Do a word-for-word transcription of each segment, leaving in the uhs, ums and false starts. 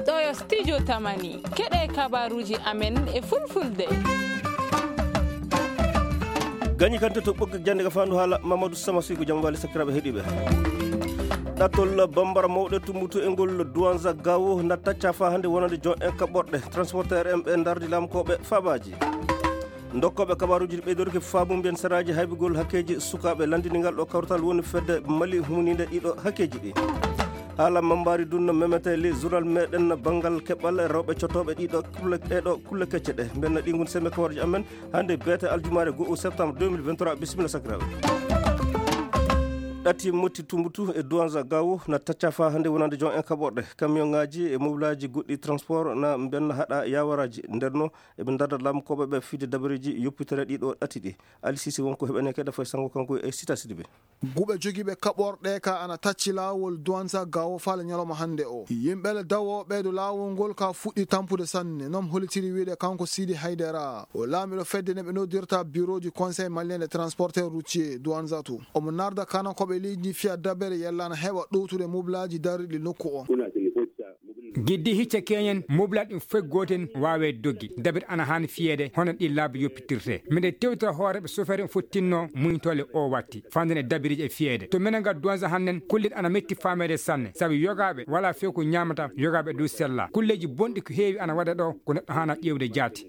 Ɗo yo studio Tamani, keɗe kabaruuji amen e fulfulde. Gañi kante to ɓoggi jannde ka faandu haala Mamadou Sama Soy, ko jam wali sakiraaɓe heɗiiɓe. Ɗattol bambara mawɗe tumbutu e ngol Duwanza Gawo na tacca fa hannde wonande jon en kaɓorɗe. Transporteur en ɓe ndardi lamkooɓe faabaaji. Ndokkooɓe kabaruuji ɗi ɓeydorki faamu mbiyen saraaji haybugol hakkeeji sukaaɓe. Lanndini ngal ɗo kawtal woni fedde Mali humuninde ɗiɗo hakkeeji ɗi. Haala mambaari dunno memete li journal meɗen banngal keɓal rewɓe cotooɓe ɗiɗo kulle, ɗeɗo kulle kecce ɗe. Mbenna ɗi ngun sembe kabaruuji amen hannde beete aljumaare go'o septembre deux mille vingt-trois. Bisimilla sakiraaɓe. Ɗati motti tumbutu e Duwanza Gawo na tacca fa hannde wonande jon en kaɓorɗe. Kamiyonŋaaji e mobilaaji goɗɗi transport na mbenna haɗa yawaraaji. Nder no eɓe ndarda lamkooɓe ɓe fide dabareeji yoppitere ɗiɗo ɗati ɗi. Ali Sisi wonko heɓene keɗa fay sango kanko e Sita Sidibe. Guɓe jogiiɓe kaɓorɗe ka ana tacci laawol Duwanza Gawo faale ñalawma hannde o. Yimɓe le dawooɓe dow laawol ngol ka fuɗɗi tampude sanne, non holitiri wiide kanko Sidi Haydara. O laamiɗo fedde ne ɓe noddirta birooji Conseil Malien de Transporteur Routier Duwanza to. Omo narda kana ko ɓe leydi fiya dabere yalla ana heɓa ɗowtude mobilaaji darriɗi nokku o. Giddi hicce keñen, mobilaaji ɗin fof gooten waawe doggi. Dabere ana haani fiyeede, hono ɗi laabi yoppitirte. Miɗen tewtira hooreeɓe sofeer en fof tinno muñtoole o watti. Fandene dabiriji e fiyeede. To menen ga Duwanza hannen, kulle ana metti faameede sanne. Sabu yogaaɓe wala few ko ñaamata, yogaaɓe du sella. Kulleeji bonɗi ko heewi ana waɗa ɗo, ko neɗɗo haana ƴeewde jaati.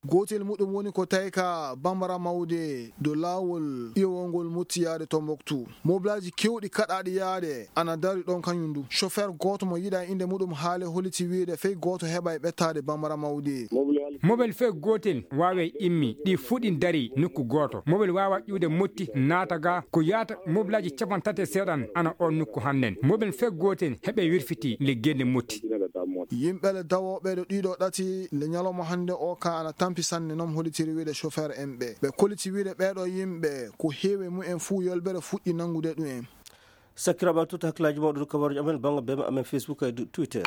Gootel muɗum woni ko tawi ka Bambara Mawde dow laawol iwongol Motti yaade Tombouctou. Mobilaaji kewɗi kaɗaaɗi yaade ana dari ɗon kañum du. Chauffeur gooto mo yiɗa innde muɗum haale holiti wiide fey gooto heɓa e ɓettaade Bambara Mawde. Mobel fey gootel waawe immi, ɗi fuɗi dari nokku gooto. Mobel waawa ƴuwde Motti naata ga ko yaata mobilaaji capanɗe tati e seeɗan ana on nokku hannden. Mobel fey gootel heɓe wirfiti le gende Motti. Yimɓe le dawooɓe ɗo ɗiɗo ɗati le ñalawma hannde o ka ana tampi sanne, non holitiri wiide chauffeur en ɓe. Ɓe koliti wiide ɓeeɗo yimɓe ko heewi mumen fuu yolbere fuɗɗi nanngude ɗum en. Sakiraaɓe, tuta hakkilaaji mawɗo ɗo kabaruuji amen bannga bema amen Facebook e du-, Twitter.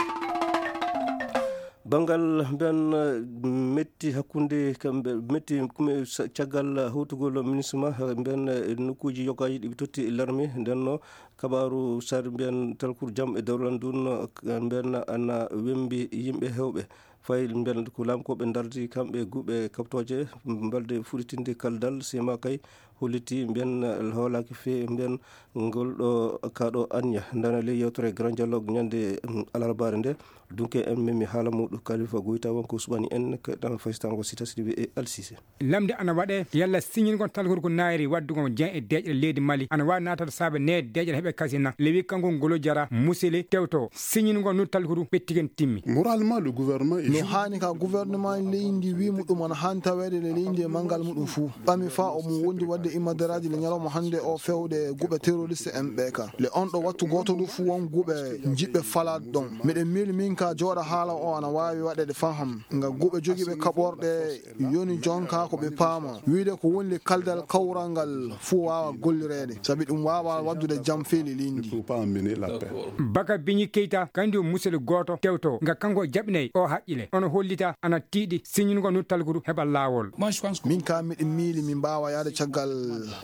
Banngal mbiyan, eh, metti hakkunde kamɓe, metti kume sa-, caggal hawtugol MINUSMA, eh, mbiyan, eh, nokkuuji yogaaji ɗi ɓe totti larme. Nden no kabaaru sar mbiyan talkuru jam e dawral ndun, eh, mbiyan ana wembi yimɓe hewɓe. Fayi mbiyan ko laamkooɓe ndardi kamɓe guɓe kaɓtooje mbalde fuɗitinde kaldal sema kay holliti mbiyan hoolaaki fe mbiyan ngol ɗo kaɗo anniya. Ndana ley yewtere Grand Dialogue ñande, mm, alarbaare nde. Dunke en memi haala muɗum Kalifa Goyta wonko suɓani en keɗɗan faysitango Sita Sidibe e Alsise. Lamde ana waɗe yalla siñingol talkuru ko naayri waɗdugol jen e deeƴre leydi Mali ana waawi naatade saabe ne deeƴre heɓe kasina. Lewi kanko ngolo jara musele tewto siñingol nu talkuru ɓettigen timmi. Moralement, le gouvernement est No haani ka gouvernement leydi wi muɗum ana haani taweede le leydi e manngal muɗum fuu. Ɓami fa o mu wondi waɗde imadaraaji le ñalawma hannde o fewde guɓe terroriste en ɓe ka. Le on ɗo wattu gooto du fuu won guɓe njiɓɓe falaade ɗon. Miɗen miili min ka jooɗa haala o ana waawi waɗeede faham. Nga guɓe jogiiɓe kaɓorɗe yoni jonka ko ɓe paama. Wiide ko woni le kaldal kawral ngal fuu waawa gollireede. Sabi ɗum waawa waɗdude jam fii le leydi. Baka Biñi Keyta, kanjum musel gooto tewto, nga kanko jaɓinay o haqqile. Ono hollita ana tiiɗi siñingo nu talkuru heɓa laawol. Min ka miɗo miili mi mbaawa yaade caggal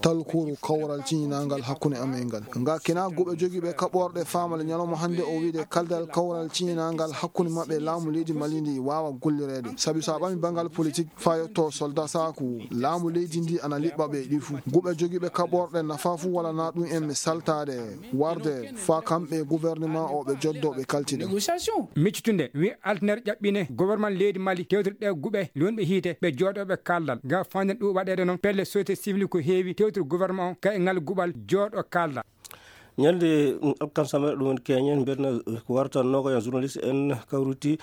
talkuru kawral ciñinangal hakkunde am e ngal. Nga kina guɓe jogiiɓe kaɓorɗe faamale ñalawma hannde o wiide kaldal kawral ciñinangal hakkunde maɓɓe laamu leydi Mali ndi waawa gollireede. Sabi so a ɓami banngal politik faa yotto soldat saaku, laamu leydi ndi ana liɓɓa ɓe ɗi fuu. Guɓe jogiiɓe kaɓorɗe nafa fuu wala na ɗum en mi saltaade. Warde faa kamɓe gouvernement o ɓe joddo ɓe kaltida. Miccitunde wi altiner ƴaɓɓine gouvernement leydi Mali tewtirɗe guɓe lonɓe hiite ɓe jooɗo ɓe kaldal. Ga fanden ɗum waɗeede noon pelle société civile ko heewi tewtir gouvernement o ka e ngal guɓal jooɗo kalda. Ñande, mm, alkansa mere ɗum woni keñen mbiɗna ko warta nogoya journaliste en kawruti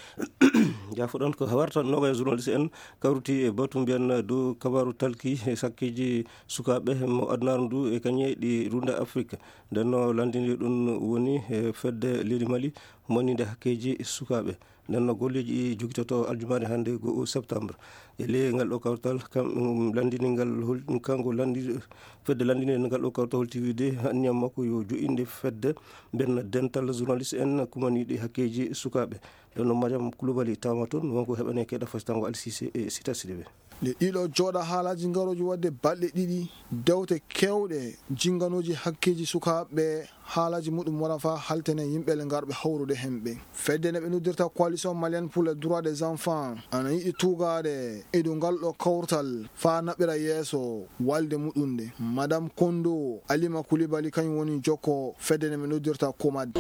jafo ɗon ko warta nogoya journaliste en kawruti e batu mbiyan dow kabaru talki e sakkeji sukaaɓe mo adunaaru ndu e kañe ɗi runda Afrique. Nden no landini ɗum woni e fedde leydi Mali humaninde hakkeji sukaaɓe. Nden no golleji ɗi jogitoto aljumaare hannde go'o septembre. E ley ngal ɗo kawtal, kam, um, landini ngal hol-, kanko landi-, fedde landini ngal ɗo kawtal holti wiide anniya makko yo jo'inde fedde mbenna dental journaliste en kumaniɗi hakkeji sukaaɓe. Nden no Mariam Koulibaly tawama toon, wonko heɓane keɗa fasitango Alsise e Sita Sidibe. Nde ɗiɗo jooɗa haalaaji ngarooji waɗde balɗe ɗiɗi, dewte keewɗe jinnganooji hakkeeji sukaaɓe haalaaji muɗum wara faa haltene yimɓe le ngarɓe hawrude hemɓe. Fedde nde ɓe noddirta Coalition Malienne pour les Droits des Enfants ana yiɗi tuugaade e dow ngal ɗo kawtal faa naɓira yeeso walde muɗum nde. Madame Kondo Alima Koulibaly kañum woni jokko fedde nde ɓe noddirta Komad.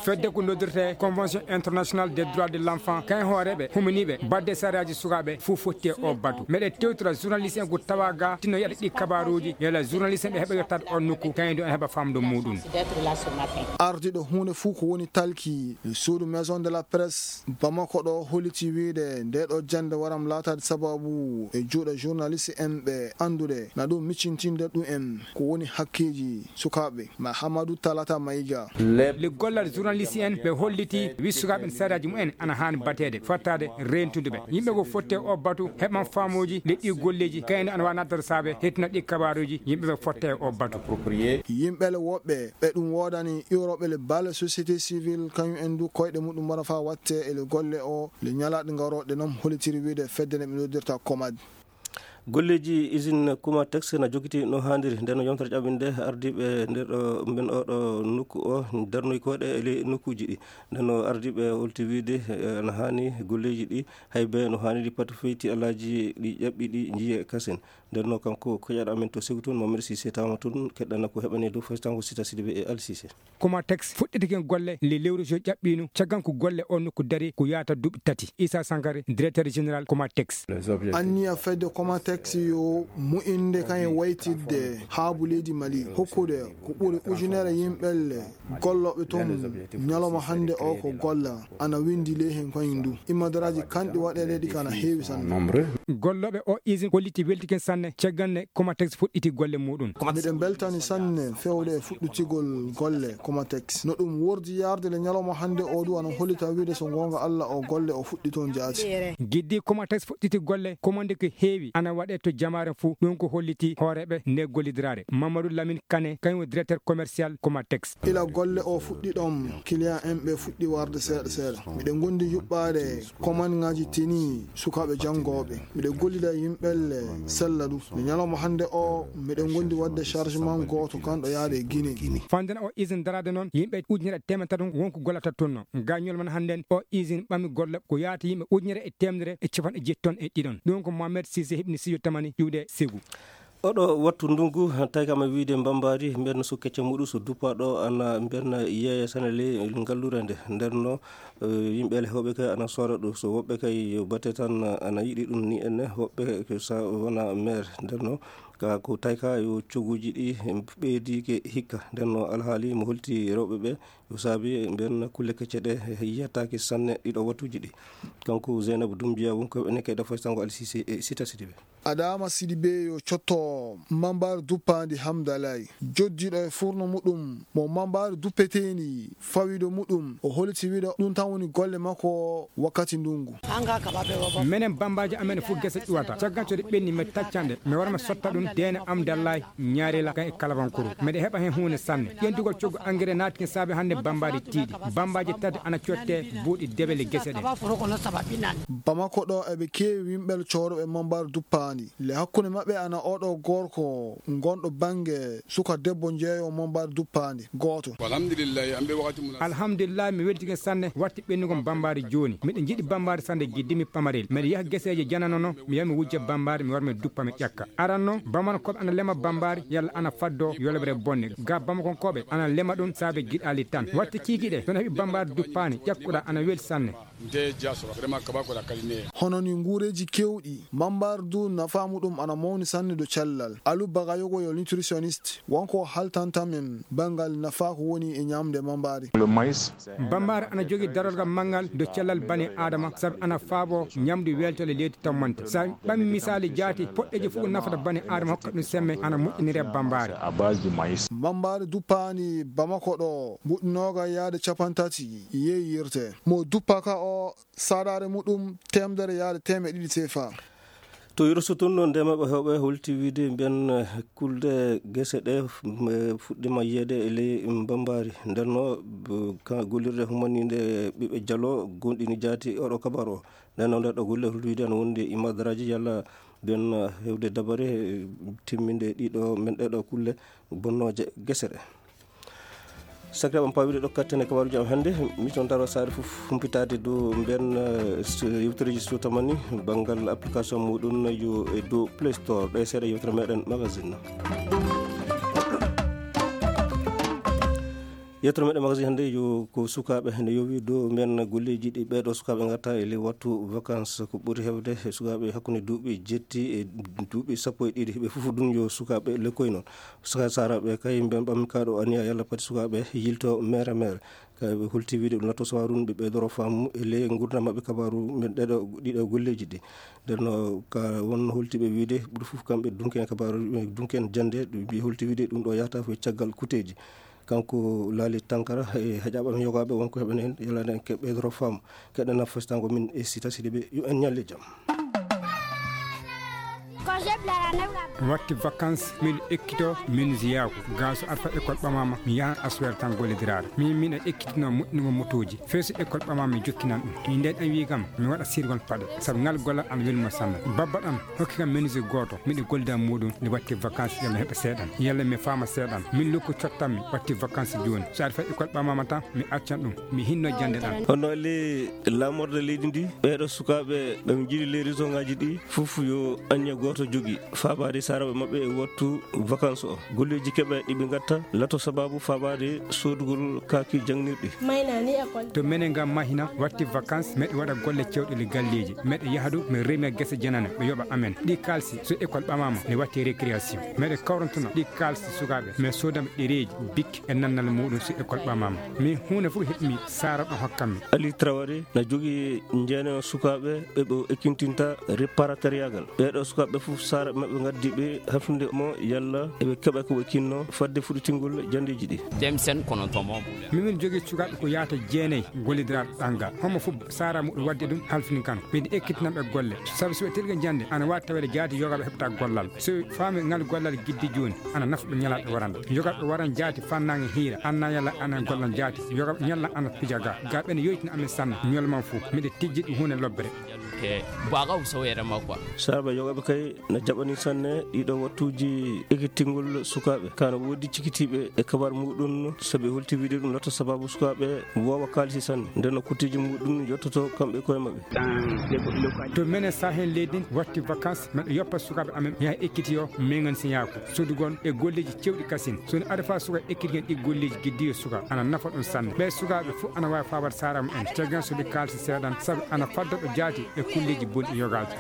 Fedde ko noddirte Convention Internationale des Droits de l'Enfant, kañum hooreeɓe huminiiɓe baɗde sariyaaji sukaaɓe fof fotti e o batu. Meɗe tewtora journaliste en ko tawa ga tinno yaɗa ɗi kabaruuji, yala journaliste en ɓe heɓa yottaade on nokku, kañum du en heɓa famde muɗum. Ardiɗo huunde fof ko woni talki suudu Maison de la Presse Bamako ɗo holliti wiide nde ɗo jannde waram laataade sababu e juuɗe journaliste en ɓe anndude na ɗum miccintinde ɗum en ko woni hakkeeji sukaaɓe. Mahamadou Talata Maïga. Le gollal journaliste en ɓe holliti wi sukaaɓe en sariyaaji mumen ana haani bateede, fottaade reentude ɓe. Yimɓe ko fotte o batu heɓan faamooji le ɗi golleeji, kayno ana waawi naddata saabe hettina ɗi kabaruuji yimɓe ɓe fotte o batu. Yimɓe le woɓɓe ɓe ɗum woodani iwroɓe le balle société civile kañum en du koyɗe muɗum wara faa watte e le golle o le ñalaaɗe ngarooɗe noon hollitiri wiide fedde nde ɓe noddirta Komad. Golleeji usine Comatex na jokkitii no haaniri. Nden no yontere ƴaɓɓinde ardiiɓe nder ɗo, mben oɗo nokku o darnoy koɗe e ley nokkuuji ɗi. Nden no ardiiɓe holti wiide, eh, no haani golleeji ɗi hay be no haaniri pati feyti alaaji ɗi ƴaɓɓi ɗi njiye kasen. Nden no kanko koƴaɗo amen to Segu tun, Mamadou Cissé tawama tun, keɗɗana ko heɓani dow faytango Sita Sidibé e Ali Cissé. Comatex fuɗɗitike golle le lewru jo ƴaɓɓiino, caggal ko golle o nokku dari ko yaata duuɓi tati. Issa Sankare, directeur général Comatex. Anniya fedde Comatex yo moƴƴinde kañum waytidde haabu leydi Mali, hokkude ko ɓuri ujunere yimɓelle gollooɓe toon ñalawma hannde o ko golla, ana winndi ley heen kañum du. Immadaraaji kanɗi waɗeede ɗi kana heewi sanne. Gollooɓe o usine holliti weltike sanne caggal nde Comatex fuɗɗiti golle muɗum. Miɗen mbeltani sanne feewde e fuɗɗitigol golle Comatex. No ɗum wordi yarde le ñalawma hannde o du ana hollita wiide so goonga Alla o golle o fuɗɗi toon jaati. Giddi Comatex fuɗɗiti golle, commande ko heewi ana waɗe to jamaare fuu, ɗum ko holliti hooreeɓe nde gollidiraare. Mamadou Lamine Kane, kañum woni directeur commercial Comatex. Ila golle o fuɗɗi ɗoon, client en ɓe fuɗɗi warde seeɗa seeɗa. Miɗen ngondi yuɓɓaade commande ŋaaji tenue sukaaɓe janngooɓe. Miɗen gollida e yimɓelle sella du. Nde ñalawma hannde o, miɗen ngondi waɗde chargement gooto kanɗo yaade e Guinée. Fandena o usine daraade noon, yimɓe ujunere e teemedde tati won ko gollata toon no. Ga ñalawma hannde o usine ɓami golle ko yaata yimɓe ujunere e teemedere e capanɗe jeeɗi toon e ɗiɗon. Ɗum ko Mohamed Cissé heɓni studio Tamani iwde Segu. Oɗo wattu ndungu, tawi kam e wiide mbambaari, mbeɗa so kecce muɗum so duppa ɗo, ana mbeɗa yeeya tan e ley ngallure nde. Nder no, eh, yimɓe le heewɓe kay ana sooda ɗum. So woɓɓe kay yo bate tan ana yiɗi ɗum ni enne, woɓɓe ko sa wona maire. Nder no, ka ko tawi ka yo coguuji ɗi ɓeydi ke hikka. Nder no alhaali mo holti rewɓe ɓe, yo saabi mbeɗa kulle kecce ɗe yiyataake sanne ɗiɗo wattuuji ɗi. Kanko Zeynabu Dumbiya won ko ene kay ɗo faysango Alsise e Sita Sidibe. Adama Sidibe yo cotto Mambaari duppaandi Hamdalaay. Joddiiɗo e furno muɗum mo Mambaari duppeteendi fawido muɗum, o holiti wiɗo ɗum tan woni golle makko wakkati ndungu. Menen bambaaji amen fof gese ƴuwata. Caggal so ɗe ɓenni, mi taccan ɗe, mi wara mi sotta ɗum deene Hamdalaay Ñaarela kan e Kalabankuru. Miɗo heɓa heen huunde sanne. Ƴentugol coggu engrais naati ken saabe hannde bambaaji tiiɗi. Bambaaji tati ana cotte buuɗi debele gese ɗe. Bamako ɗo eɓe keewi yimɓe cooroɓe Mambaari duppaandi. Le hakkunde maɓɓe ana oɗo gorko ngonɗo bannge suka debbo jeeyo Mambaari duppaandi gooto. Alhamdulillahi, mi weltike sanne watti ɓennugol bambaaji jooni. Miɗo jiɗi bambaaji sanne giddi mi pamarel. Miɗo yaha geseeje janano no, mi yaha mi wujja bambaaji, mi wara mi duppa mi ƴakka. Aran no, Bamakoɓe ana lema bambaaji yalla ana faddo yoloɓre bonne. Ga Bamakonkooɓe ana lema ɗum saabe giɗaali tan. Watti kiikiɗe, so na heɓi bambaaji duppaandi, ƴakkuɗa ana weli sanne. Nde jaso, vraiment, kaba ko la kaline. Hono ni nguureeji keewɗi, Mambaari du nafaa muɗum ana mawni sanne do cellal. Alu Bagayogo yo nutritionniste, wonko haltanta men banngal nafaa ko woni e ñaamde Mambaari. Bambaaji ana jogii darorgal manngal do cellal bani Aadama, sabu ana faabo ñamdu weltale leydi tammante. Sa ɓami misaali jaati, poɗɗeeji fof ko nafata bani Aadama hokka ɗum semme ana moƴƴinire bambaaji. Mambaari duppaandi Bamako ɗo, buɗɗi nooga yaade capanɗe tati yeeyirte. Mo duppaka o, saɗaare muɗum teemedere yaade teemeɗɗe ɗiɗi sefa. To Yoro Sotun noon, ndemooɓe heewɓe holti wiide mbiyen, eh, kulde gese ɗe, mm, eh, fuɗɗiima yiyeede e ley Bambari. Nden no, b-, ka gollirde humaniinde ɓiɓɓe Jalo gonɗini jaati oɗo kabaru o. Nden no, nde ɗo golle holti wiide ana wondi e imadaraaji yalla mbiyen, eh, heewde dabare, eh, timminde ɗiɗo men ɗeɗo kulle bonnooje gese ɗe. Sakiraaɓe am, paawiɗe ɗo katten e kabaaruuji am hannde, mi toon daro saare fof humpitaade dow mbeen, eh, s-, yewtereeji so tamani banngal application muɗum yo e dow Play Store. Ɗe seeɗa yewtere meɗen magazine. Yewtere meɗen magazine hannde yo ko sukaaɓe ne yowi dow mbeen golleeji ɗi ɓeeɗo sukaaɓe ngatta e ley wattu vacances. Ko ɓuri heewde e sukaaɓe hakkunde duuɓi jetti e duuɓi sappo e ɗiɗi, ɓe fof ɗum yo sukaaɓe lekkoy noon. Saka Sara ɓe kay mben ɓammi kaɗo aniya yalla pati sukaaɓe yilto mere mere. Kay ɓe holti wiide ɗum natto sawarun ɓe ɓeydoro faamu e ley ngurdam maɓɓe kabaru men ɗeɗo ɗiɗo golleeji ɗi. Nden no ka won holti ɓe wiide ɓuri fof kamɓe dunken kabaru, dunken jannde, ɓe holti wiide ɗum ɗo yahata fof caggal kuteeji. Kanko Laali Tankara e heƴaɓam yogaaɓe wonko heɓen heen, yalla nden ke ɓeydoro faamu. Keɗen nafostango min e Sita Sidiɓe, yo en ñalle jam. Watti vacances, min ekkito, min ziyaaku. Gaa so arfa école ɓamama, mi yahan aswere tan gollidiraade. Min, min e ekkitino moƴƴingo motooji. Fee so école ɓamama, mi jokkinan ɗum. Min nden en wi kam, mi waɗa sirgol paɗe. Sabu ngal gollal ana welmo sanne. Babba ɗam, hokki kam menuisier gooto, miɗo gollida muɗum, nde watti vacances, yalla mi heɓa seeɗan. Yalla mi faama seeɗan. Min lokku cottanmi, watti vacances jooni. So arfa école ɓamama tan, mi accan ɗum. Mi hinno jannde ɗam. Hono le laamorde leydi ndi, ɓeeɗo sukaaɓe ɓe njiɗi les région ngaji ɗi, fof yo aññe gooto jogii, faabaade saaraaɓe maɓɓe e wattu vacances o. Golleeji keɓe ɗi ɓe ngatta, lato sababu faabaade soodugol kaaki jangnirɗi. To menen ngam mahina, watti vacances, meɗe waɗa golle cewɗe le galleeji. Meɗe yaha ɗo, mi rema gese janane, ɓe yoɓa amen. Ɗi kaalsi, so école ɓamama, ne watti récréation. Meɗe kawrantuna ɗi kaalsi sukaaɓe, mi soodam ɗereeji, bik, e nannal muɗum so école ɓamama. Min huunde fof heɓmi, Sara ɗo hokkammi. Ali Traoré na jogii njeene sukaaɓe ɓe ɓe ekkintinta reparatoriagal. Ɓeeɗo sukaaɓe fof Sara maɓɓe ngaddi ɓe hafnude mo yalla eɓe keɓa ko ɓe kinno fadde fuɗitingol janndeeji ɗi. Temsen kono to mo. Mimin jogii sukaaɓe ko yahata jeenayi gollidiraaɓe ɓanngal. Homo fof Sara muɗum wadde ɗum halfini kan. Miɗo ekkitinamɓe golle. Sabu so ɓe telgi jannde, ana waawi taweede jaati yoga ɓe heɓta gollal. So faami ngal gollal giddi jooni, ana nafa ɓe ñalaaɓe warande. Yoga ɓe waran jaati fannaange hiira, anna yalla ana gollal jaati. Yoga ɓe ñalla ana pija ga. Ga ɓen yoytina amen sanne, ñolman fof. Miɗo tijji ɗum huunde lobbere. Ke baga usawere makwa. Saabe yoga ɓe kay na jaɓani sanne ɗiɗo wattuuji ekkitingol sukaaɓe. Kana woodi cikitiiɓe e kabar muɗum, sabi holti wiide ɗum lato sababu sukaaɓe woowa kaalisi sanne. Nden no kutiji muɗum yottoto kamɓe koye maɓɓe. To menen Sahel leydi, watti vacances, meɗe yoppa sukaaɓe amen yaha ekkitiyo mengan siyaaku, sodugol e golleeji cewɗi kasin. So ne ada fa suka ekkitigen ɗi golleeji giddiyo suka, ana nafa ɗum sanne. Ɓe sukaaɓe fof ana waawi faabar saara mumen. Caggan so ɓe kaalsi seeɗan, sabu ana fadda ɗo jaati e kulleeji bonɗi yogaaji.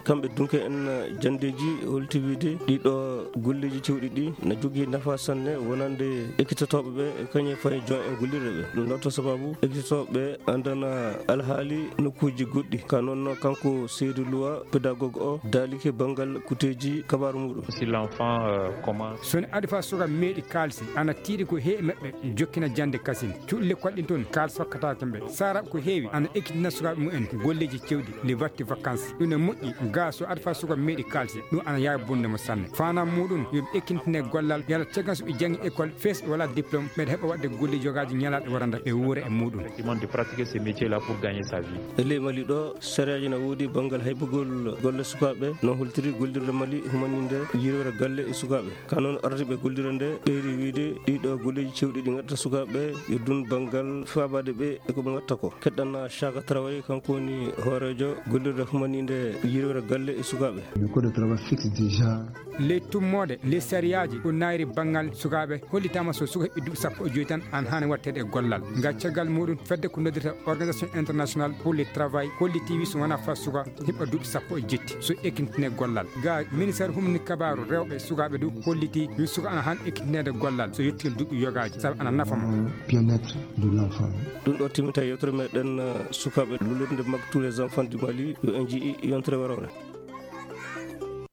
Kamɓe dunke en janndeeji holti wiide ɗiɗo golleeji cewɗi ɗi na jogii nafa sanne wonande ekkitotooɓe ɓe e kañum fayi jon en gollirde ɓe. Ɗum ɗo to sababu ekkitotooɓe ɓe anndana alhaali nokkuuji goɗɗi. Ka noon kanko Seydou Loua, pédagogue o, daalike banngal kuteeji kabaaru muɗum. Si l'enfant, euh, commence. So ne adi fa suka meeɗi kaalsi, ana tiiɗi ko heewi maɓɓe jokkina jannde kasin. Cuuɗi lekkol ɗin toon, kaal sokkataake ɓe. Saara ko heewi, ana ekkitina sukaaɓe mumen golleeji cewɗi, nde watti vacances. Ɗum ne moƴƴi, gaa so adi fa suka meeɗi kaalsi, ɗum ana yaawi bonde mo sanne. Faanam muɗum, yo ɓe ekkintine gollal, yalla caggal so ɓe janngi école, fees ɓe wala diplôme, ɓeɗa heɓa waɗde golleeji yogaaji ñalaaɗe waranda ɓe wuura e muɗum. Effectivement, de pratiquer ce métier-là pour gagner sa vie. E ley Mali ɗo, sariyaaji na woodi banngal haybugol golle sukaaɓe, no holtiri gollirde Mali humaninde yirwere galle e sukaaɓe. Ka noon ardiiɓe gollirde nde ɓeyri wiide ɗiɗo golleeji cewɗi ɗi ngatta sukaaɓe, yo dun banngal faabaade ɓe e ko ɓe ngatta ko. Keɗɗan Chaka Traoré, kanko woni hooreejo gollirde humaninde yirwere galle e sukaaɓe. Le code de travail fixe déjà. Ley tummoode, ley sariyaaji ko naayri banngal sukaaɓe hollitaama so suka heɓi duuɓi sappo e joy tan, an haani watteede e gollal. Nga caggal muɗum, fedde ko noddirta Organisation Internationale pour le Travail holliti wi so wonaa fa suka heɓa duuɓi sappo e jetti, so ekintine gollal. Ga ministère humni kabaaru rewɓe sukaaɓe du holliti wi suka ana han ekintineede gollal so yettii duuɓi yogaaji, sabu ana nafa mo. Bien-être de l'enfant. Ɗum ɗo timmita yewtere meɗen, uh, sukaaɓe lullirde Mag tous les enfants du Mali, yo en jii yontere warore.